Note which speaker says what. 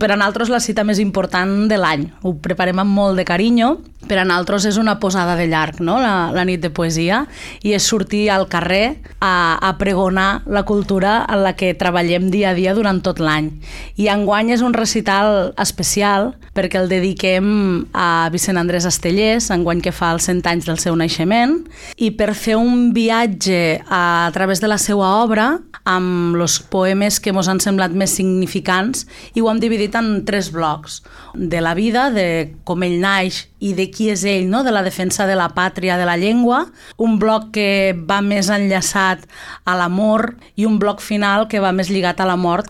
Speaker 1: Per a nosaltres la cita més important de l'any. Ho preparem amb molt de carinyo. Per a nosaltres és una posada de llarg, no? La nit de poesia, i és sortir al carrer a pregonar la cultura en la que treballem dia a dia durant tot l'any. I enguany és un recital especial perquè el dediquem a Vicent Andrés Estellés, enguany que fa els 100 anys del seu naixement, i per fer un viatge a través de la seva obra amb els poemes que ens han semblat més significants, i ho hem dividit en 3 blocs. De la vida, de com ell naix i de qui és ell, no? De la defensa de la pàtria, de la llengua, un bloc que va més enllaçat a l'amor i un bloc final que va més lligat a la mort,